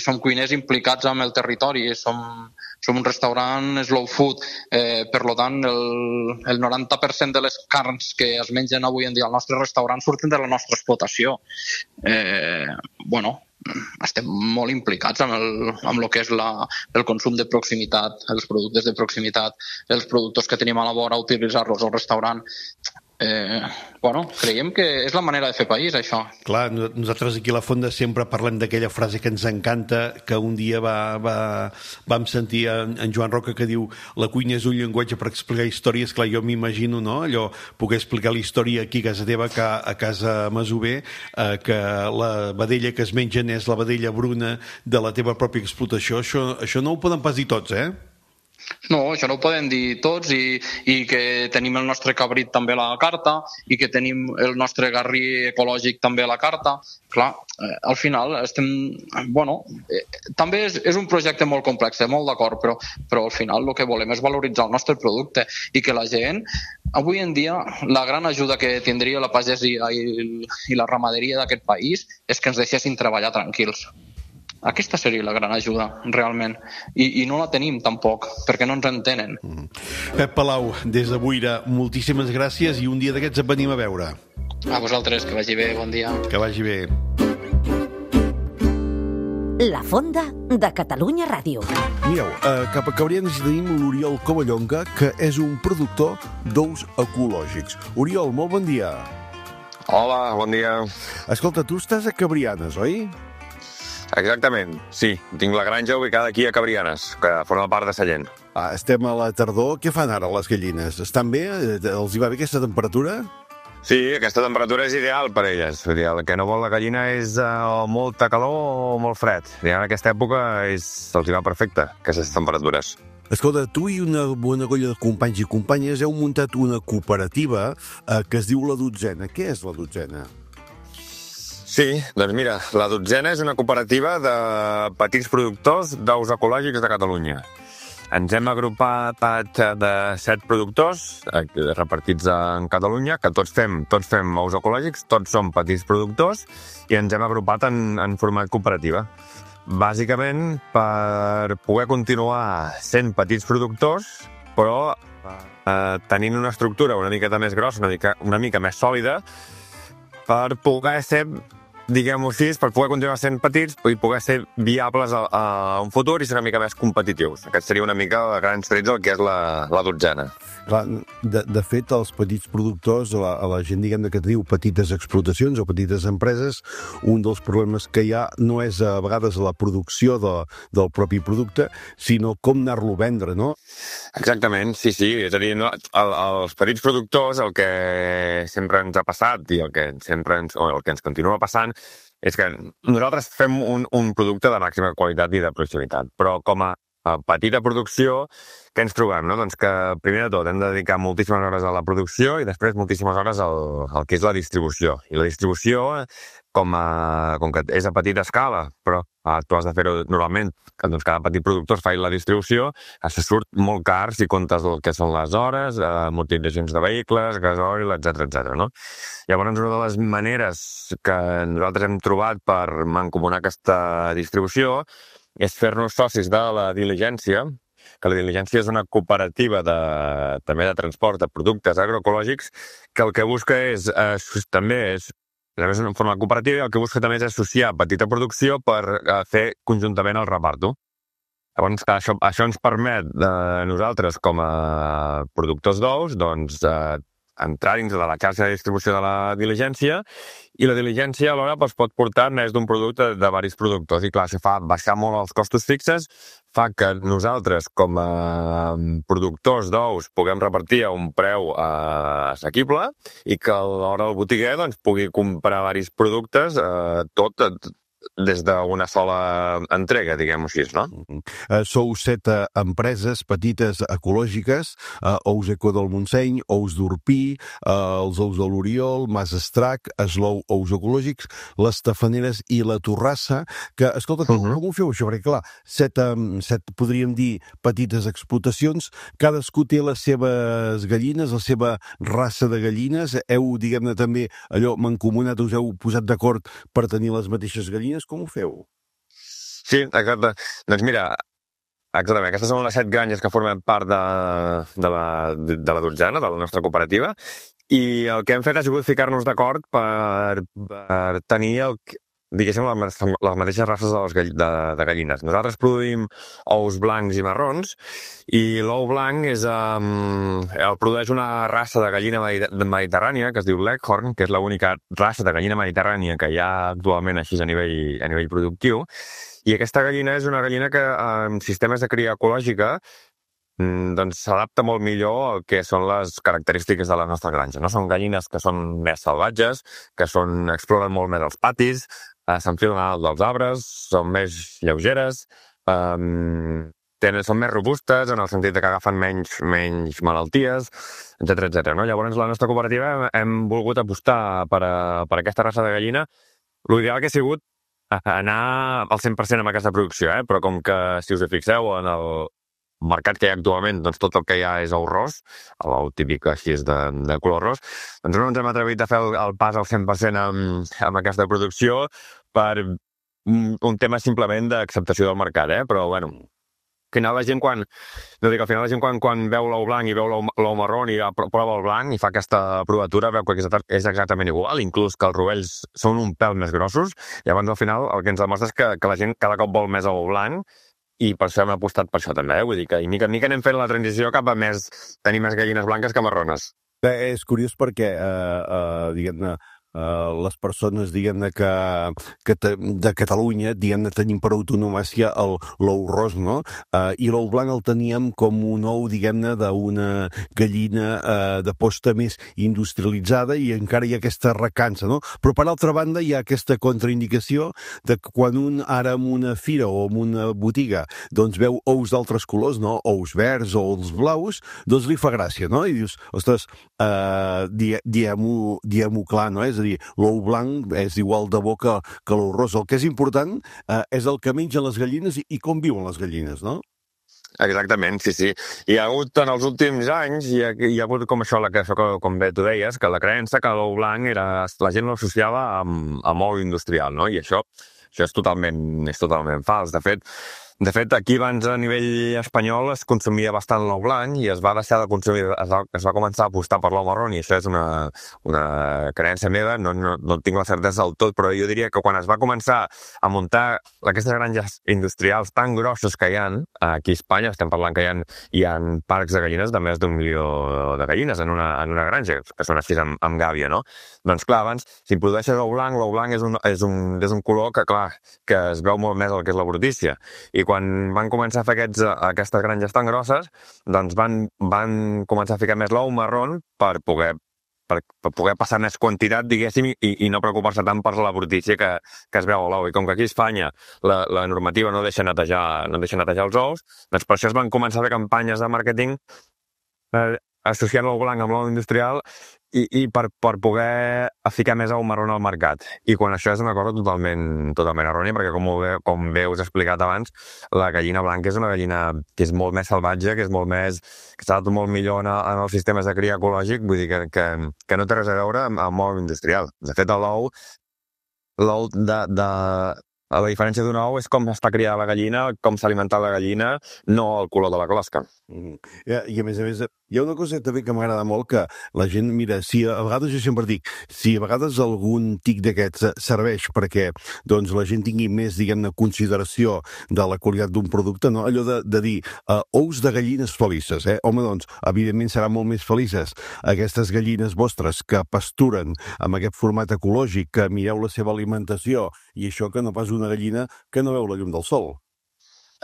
som cuiners implicats amb el territori, som un restaurant slow food, per tant el 90% de les carns que es mengen avui en dia al nostre restaurant surten de la nostra explotació. Estem molt implicats amb el que és el consum de proximitat, els productes de proximitat, els productors que tenim a la vora, utilitzar-los al restaurant. Creiem que és la manera de fer país, això. Clar, nosaltres aquí a la Fonda sempre parlem d'aquella frase que ens encanta, que un dia vam sentir en Joan Roca que diu: la cuina és un llenguatge per explicar històries. Clar, jo m'imagino, no?, allò, poder explicar la història aquí a casa teva, a casa Masover, que la vedella que es mengen és la vedella bruna de la teva pròpia explotació. Això no ho poden pas dir tots, eh? No, això no ho poden dir tots, i que tenim el nostre cabrit també a la carta i que tenim el nostre garrí ecològic també a la carta. Clar, al final també és un projecte molt complex, molt d'acord, però al final el que volem és valoritzar el nostre producte i que la gent, avui en dia, la gran ajuda que tindria la pagesia i la ramaderia d'aquest país és que ens deixessin treballar tranquils. Aquesta seria la gran ajuda, realment. I no la tenim, tampoc, perquè no ens entenen. Pep Palau, des de Boira, moltíssimes gràcies i un dia d'aquests et venim a veure. A vosaltres, que vagi bé, bon dia. Que vagi bé. La Fonda de Catalunya Ràdio. Mireu, cap a Cabrianes hi tenim l'Oriol Covallonga, que és un productor d'ous ecològics. Oriol, molt bon dia. Hola, bon dia. Escolta, tu estàs a Cabrianes, oi? Exactament, sí. Tinc la granja ubicada aquí a Cabrianes, que forma part de Sallent. Estem a la tardor. Què fan ara les gallines? Estan bé? Els hi va bé aquesta temperatura? Sí, aquesta temperatura és ideal per elles. El que no vol la gallina és molta calor o molt fred. En aquesta època els hi va perfecte, aquestes temperatures. Escolta, tu i una bona colla de companys i companyes heu muntat una cooperativa que es diu La Dotzena. Què és La Dotzena? Sí, doncs mira, La Dotzena és una cooperativa de petits productors d'ous ecològics de Catalunya. Ens hem agrupat de 7 productors repartits en Catalunya, que tots fem ous ecològics, tots som petits productors i ens hem agrupat en format cooperativa. Bàsicament per poder continuar sent petits productors, però tenint una estructura una miqueta més grossa, una mica més sòlida, per poder ser, diguem-ho així, per poder continuar sent petits i poder ser viables a un futur i ser una mica més competitius. Aquest seria una mica a grans trets el que és la Dotzena. Clar, de fet, els petits productors, a la gent, diguem, que teniu petites explotacions o petites empreses, un dels problemes que hi ha no és a vegades la producció del propi producte, sinó com anar-lo a vendre, no? Exactament, sí. És a dir, els petits productors, el que sempre ens ha passat i el que ens continua passant és que nosaltres fem un producte de màxima qualitat i de proximitat, però com a petita producció, què ens trobem? No? Doncs que, primer de tot, hem de dedicar moltíssimes hores a la producció i després moltíssimes hores al que és la distribució. I la distribució com que és a petita escala, però tu has de fer-ho normalment, que doncs, cada petit productor fa la distribució, se surt molt car si comptes el que són les hores, amortitzacions de vehicles, gasoil, etc. No? Llavors, una de les maneres que nosaltres hem trobat per mancomunar aquesta distribució és fer-nos socis de la Diligència, que la Diligència és una cooperativa també de transport de productes agroecològics, que el que busca és una forma cooperativa i el que busca també és associar petita producció per fer conjuntament el reparto. Llavors, això ens permet nosaltres, com a productors d'ous, doncs, entrar dins de la xarxa de distribució de la Diligència i la Diligència alhora pot portar més d'un producte de diversos productors i clar, això fa baixar molt els costos fixes, fa que nosaltres com a productors d'ous puguem repartir a un preu assequible i que alhora el botiguer doncs, pugui comprar diversos productes tot des d'una sola entrega, diguem-ho així, no? Sou 7 empreses petites ecològiques, Ous Eco del Montseny, Ous d'Orpí, els Ous de l'Oriol, Mas Estrac, Eslou Ous Ecològics, les Tafaneres i la Torrassa, que, escolta, com ho feu això? Perquè, clar, 7, podríem dir, petites explotacions, cadascú té les seves gallines, la seva raça de gallines, heu, diguem-ne, també allò mancomunat, us heu posat d'acord per tenir les mateixes gallines. Com ho feu? Sí, exacte. Doncs mira, exactament, aquestes són les 7 granges que formen part de la dotzena, de la nostra cooperativa, i el que hem fet ha sigut ficar-nos d'acord per tenir diguéssim, les mateixes races de gallines. Nosaltres produïm ous blancs i marrons i l'ou blanc el produeix una raça de gallina mediterrània que es diu Leghorn, que és l'única raça de gallina mediterrània que hi ha actualment així a nivell productiu. I aquesta gallina és una gallina que en sistemes de cria ecològica doncs s'adapta molt millor al que són les característiques de la nostra granja. No? Són gallines que són més salvatges, que exploren molt més els patis, s'enfilen a dalt dels arbres, són més lleugeres, són més robustes en el sentit que agafen menys malalties, etc. No? Llavors, la nostra cooperativa hem volgut apostar per aquesta raça de gallina. L'ideal que ha sigut anar al 100% amb aquesta producció, però com que, si us hi fixeu, en el mercat que hi ha actualment, doncs tot el que hi ha és ou ros, l'ou típic així és de color ros, doncs no ens hem atrevit a fer el pas al 100% amb aquesta producció per un tema simplement d'acceptació del mercat, però bueno, al final la gent quan veu l'ou blanc i veu l'ou marró i prova el blanc i fa aquesta provatura, veu que és exactament igual, inclús que els rovells són un pèl més grossos, llavors al final el que ens demostra és que la gent cada cop vol més ou blanc i per això hem apostat per això també, vull dir que mica en mica anem fent la transició cap a tenir més gallines blanques que marrones. És curiós perquè, diguem-ne, les persones, diguem-ne, que de Catalunya, diguem-ne, tenim per autonomàcia l'ou ros, no? I l'ou blanc el teníem com un ou, diguem-ne, d'una gallina de posta més industrialitzada i encara hi ha aquesta recança, no? Però, per altra banda, hi ha aquesta contraindicació de que quan un ara en una fira o en una botiga doncs veu ous d'altres colors, no? Ous verds o els blaus, doncs li fa gràcia, no? I dius, ostres, diem-ho clar, no? És a dir, l'ou blanc és igual de bo que l'ou ros. El que és important és el que mengen les gallines i com viuen les gallines, no? Exactament, sí. Hi ha hagut en els últims anys, hi ha hagut com això, com bé tu deies, que la creença que l'ou blanc la gent l'associava amb ou industrial, no? I això és totalment fals. De fet, aquí abans a nivell espanyol es consumia bastant l'ou blanc i es va deixar de consumir, es va començar a apostar per l'ou marró i això és una creença meva, no tinc la certesa del tot, però jo diria que quan es va començar a muntar aquestes granges industrials tan grosses que hi ha, aquí a Espanya estem parlant que hi ha parcs de gallines de més d'1 milió de gallines en una granja, que són així amb gàbia, no? Doncs clar, abans, si produeixes l'ou blanc és un color que, clar, que es veu molt més el que és la brutícia. I quan van començar a fer aquestes granges tan grosses, doncs van començar a ficar més l'ou marró per poder passar més quantitat, diguéssim, i no preocupar-se tant per la brutícia que es veu a l'ou. I com que aquí a Espanya la normativa no deixa netejar els ous, doncs per això es van començar a fer campanyes de màrqueting associant l'ou blanc amb l'ou industrial i per poder ficar més ou marró al mercat. I quan això és una cosa totalment errònia, perquè com bé us he explicat abans, la gallina blanca és una gallina que és molt més salvatge, que s'adapta molt millor en els sistemes de cria ecològic, vull dir que no té res a veure amb ou industrial. De fet, l'ou la diferència d'un ou és com està criada la gallina, com s'ha alimentat la gallina, no el color de la closca. I a més, hi ha una cosa també que m'agrada molt, que la gent, mira, a vegades jo sempre dic, si a vegades algun tic d'aquests serveix perquè doncs, la gent tingui més, diguem-ne, consideració de la qualitat d'un producte, no? Allò de dir ous de gallines felices, home, doncs, evidentment seran molt més felices aquestes gallines vostres que pasturen amb aquest format ecològic, que mireu la seva alimentació, i això que no pas una gallina que no veu la llum del sol.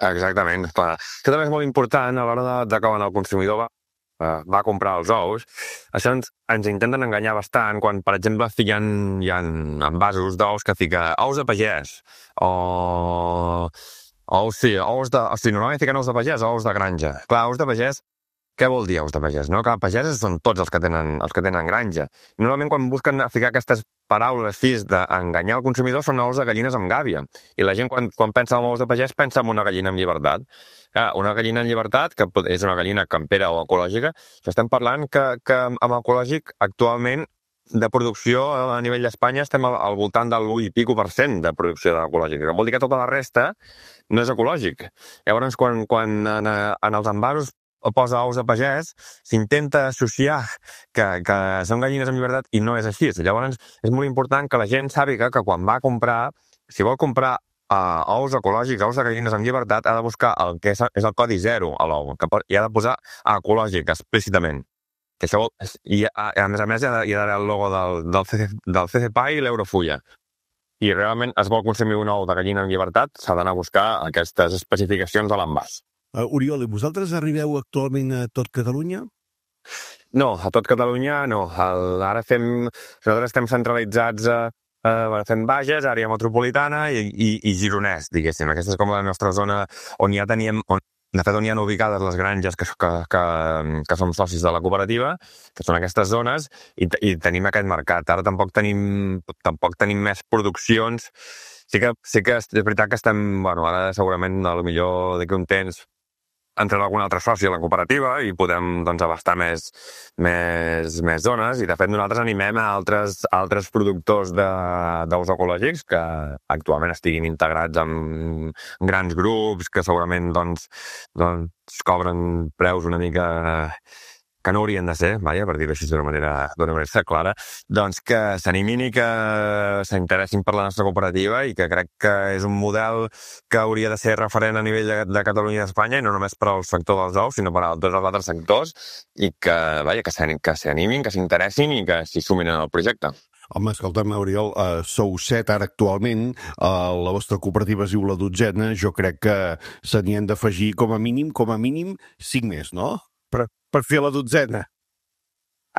Exactament. Clar. Això també és molt important a l'hora de quan el consumidor va comprar els ous. Això ens intenten enganyar bastant quan, per exemple, hi ha envasos d'ous que fica ous de pagès o normalment fiquen ous de pagès o ous de granja. Clar, ous de pagès, què vol dir ous de pagès? No? Clar, pageses són tots els que tenen granja. Normalment quan busquen ficar aquestes paraules fis d'enganyar el consumidor són ous de gallines amb gàbia. I la gent quan pensa en ous de pagès pensa en una gallina en llibertat. Una gallina en llibertat, que és una gallina campera o ecològica, estem parlant que amb ecològic actualment de producció a nivell d'Espanya estem al voltant del 1% de producció ecològica, que vol dir que tota la resta no és ecològic. Llavors, quan en els envasos posa ous de pagès, s'intenta associar que són gallines en llibertat i no és així. Llavors, és molt important que la gent sàpiga que quan va a comprar, si vol comprar ous ecològics, ous de gallines en llibertat, ha de buscar el que és el codi 0 a l'ou, i ha de posar ecològic explícitament. I a més hi ha d'haver el logo del CCPA i l'Eurofulla. I realment es vol consumir un ou de gallina en llibertat, s'ha d'anar a buscar aquestes especificacions a l'envàs. Oriol, i vosaltres arribeu actualment a tot Catalunya? No, a tot Catalunya no. Nosaltres estem centralitzats fent Bages, àrea metropolitana i Gironès, diguéssim. Aquesta és com la nostra zona on ja teníem... De fet, on hi ha ubicades les granges que som socis de la cooperativa, que són aquestes zones, i tenim aquest mercat. Ara tampoc tenim més produccions. Sí que és veritat que estem... Ara segurament, potser d'aquí un temps, entrem algun altre soci a la cooperativa i podem abastar més zones, i de fet nosaltres animem a altres productors d'ous ecològics que actualment estiguin integrats en grans grups que segurament cobren preus una mica que no haurien de ser, per dir-ho així d'una manera clara, doncs que s'animin i que s'interessin per la nostra cooperativa, i que crec que és un model que hauria de ser referent a nivell de Catalunya i d'Espanya, i no només per al sector dels ous, sinó per a tots els altres sectors, i que s'animin, que s'interessin i que s'hi sumin en el projecte. Home, escolta'm, Oriol, sou 7 ara actualment, la vostra cooperativa es diu La Dotzena, jo crec que se n'hi han d'afegir com a mínim 5 més, no? Per fer la 12.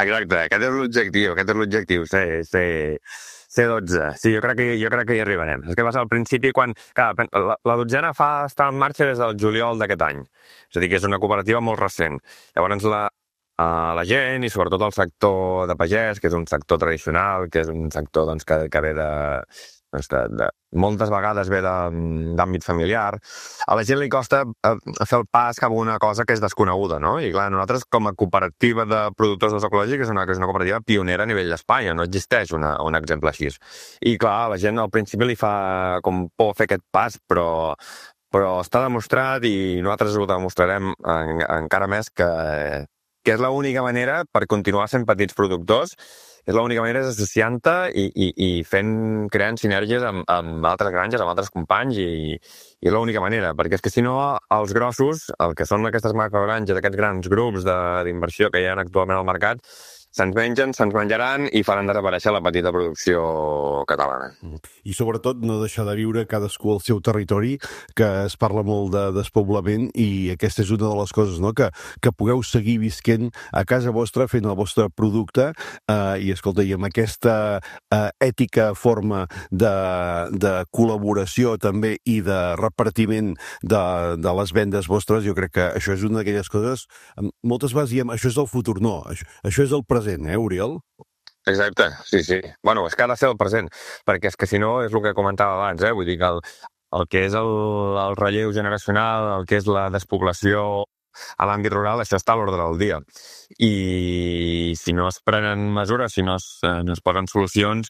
Exacte, aquest és l'objectiu, ser 12. Sí, jo crec que hi arribarem. És que va ser al principi quan... La 12 està en marxa des del juliol d'aquest any. És a dir, que és una cooperativa molt recent. Llavors la gent, i sobretot el sector de pagès, que és un sector tradicional, que és un sector que ve moltes vegades ve d'àmbit familiar, a la gent li costa fer el pas cap a una cosa que és desconeguda, no? I clar, nosaltres com a cooperativa de productors d'ous ecològics és una cooperativa pionera a nivell d'Espanya, no existeix un exemple així. I clar, a la gent al principi li fa com por fer aquest pas, però està demostrat, i nosaltres ho demostrarem encara més, que és l'única manera per continuar sent petits productors. És l'única manera és associant-te i creant sinergies amb altres granges, amb altres companys, i l'única manera, perquè és que si no els grossos, el que són aquestes macrogranges, aquests grans grups d'inversió que hi ha actualment al mercat, se'ns mengen, se'ns menjaran i faran desaparèixer la petita producció catalana. I sobretot no deixar de viure cadascú al seu territori, que es parla molt de despoblament, i aquesta és una de les coses, no? Que pugueu seguir visquent a casa vostra, fent el vostre producte, i escolta, i amb aquesta ètica forma de col·laboració també i de repartiment de les vendes vostres, jo crec que això és una d'aquelles coses, moltes vegades diem, això és el futur, no, això és el present, Oriol? Exacte, sí. Bueno, és que ha de ser el present, perquè és que si no és el que comentava abans, vull dir que el que és el relleu generacional, el que és la despoblació a l'àmbit rural, això està a l'ordre del dia. I si no es prenen mesures, si no es posen solucions,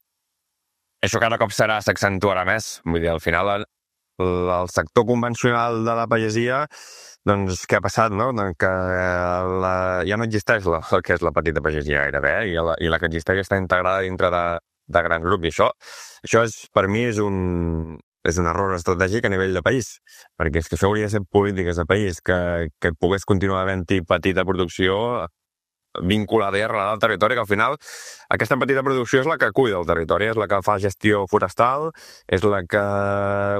això cada cop s'accentuarà més. Vull dir, al final el sector convencional de la pagesia, doncs què ha passat, no? Que ja no existeix el que és la petita pagesia gairebé, i la que existeix està integrada dintre de grans grups, i això per mi és un error estratègic a nivell de país, perquè és que això hauria de ser polítiques de país, que pogués continuar havent-hi petita producció vinculada i arrelada al territori, que al final aquesta petita producció és la que cuida el territori, és la que fa gestió forestal, és la que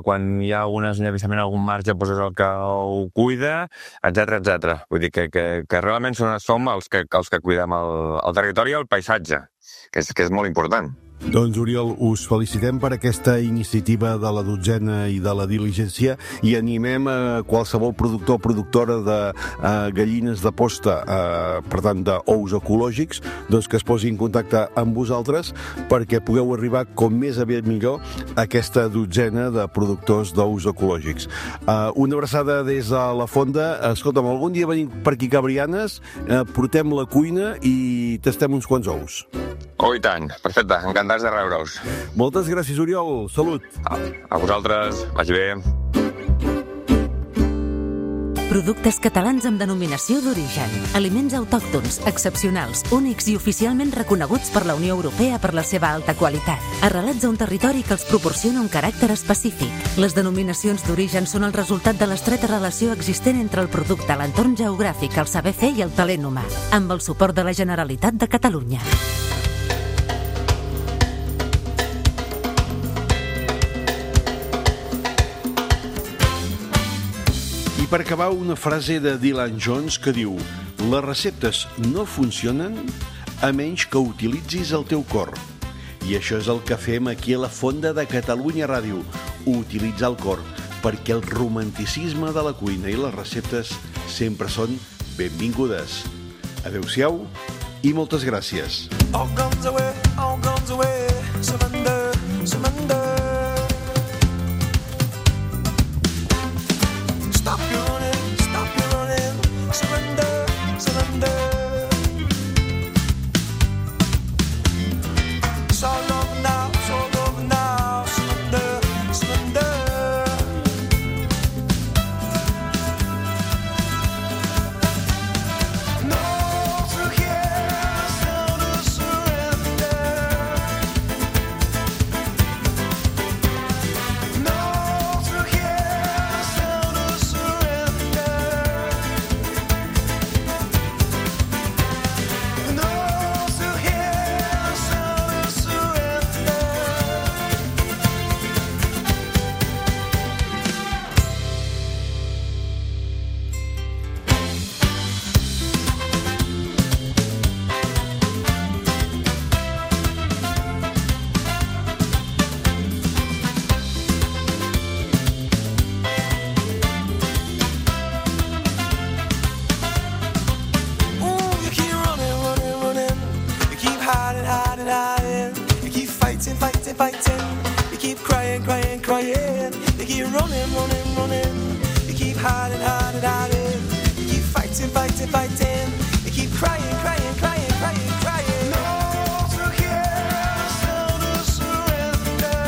quan hi ha algun esllavissament, algun marge, doncs és el que ho cuida, etc. Vull dir que realment som els que cuidem el territori i el paisatge, que és molt important. Doncs, Oriol, us felicitem per aquesta iniciativa de la 12ª i de la diligència, i animem a qualsevol productor o productora de gallines de posta, per tant d'ous ecològics, doncs que es posi en contacte amb vosaltres perquè pugueu arribar com més aviat millor a aquesta 12ª de productors d'ous ecològics. Una abraçada des de la Fonda. Escolta'm, algun dia venim per aquí Cabrianes, portem la cuina i tastem uns quants ous. Oh, i tant. Perfecte. Encantats de rebre-us. Moltes gràcies, Oriol. Salut. A vosaltres. Vagi bé. Productes catalans amb denominació d'origen. Aliments autòctons, excepcionals, únics i oficialment reconeguts per la Unió Europea per la seva alta qualitat. Arrelats a un territori que els proporciona un caràcter específic. Les denominacions d'origen són el resultat de l'estreta relació existent entre el producte, l'entorn geogràfic, el saber fer i el talent humà. Amb el suport de la Generalitat de Catalunya. I per acabar, una frase de Dylan Jones que diu: les receptes no funcionen a menys que utilitzis el teu cor. I això és el que fem aquí a la Fonda de Catalunya Ràdio, utilitzar el cor, perquè el romanticisme de la cuina i les receptes sempre són benvingudes. Adéu-siau i moltes gràcies. All guns away, surrender, surrender. Stop your running, surrender, surrender. It's all over now, surrender, surrender. No, through here, still to surrender. No, through here, still to surrender. No, through here, still to surrender. Ooh, you keep running. You keep hiding. You keep fighting. You keep crying. You keep running. You keep hiding. You keep fighting. You keep crying. No, through here, still to surrender.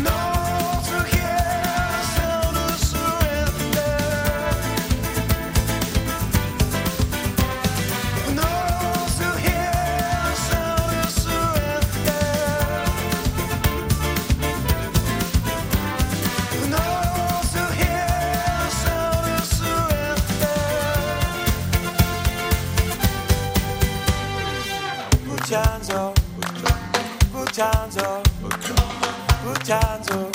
No, through here, still to surrender. No, through here, still to surrender. No, through here, Put your hands up. Put your hands up. Put your hands up.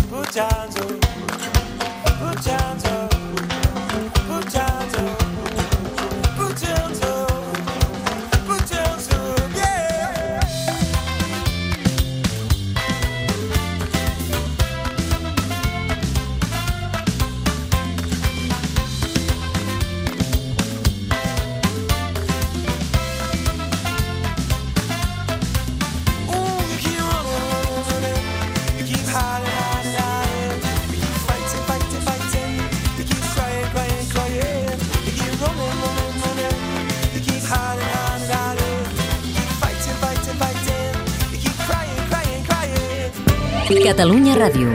Put your hands up. Put your hands up. Put your hands up. Put your hands up. Put your hands up. Yeah. Catalunya Ràdio.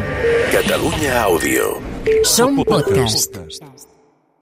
Catalunya Àudio. Som podcast.